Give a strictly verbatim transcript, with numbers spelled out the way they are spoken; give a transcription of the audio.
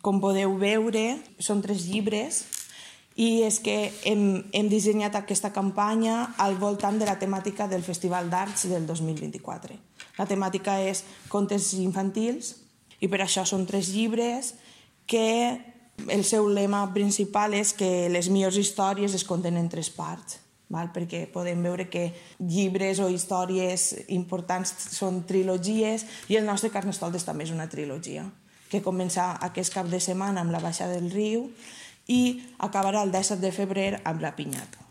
Com podeu veure, són tres llibres i és que hem, hem dissenyat aquesta campanya al voltant de la temàtica del Festival d'Arts del dos mil vint-i-quatre. La temàtica és contes infantils i per això són tres llibres que el seu lema principal és que les millors històries es conten en tres parts, perquè podem veure que llibres o històries importants són trilogies i el nostre Carnestoltes també és una trilogia que comença aquest cap de setmana amb la baixada del riu i acabarà el disset de febrer amb la pinyata.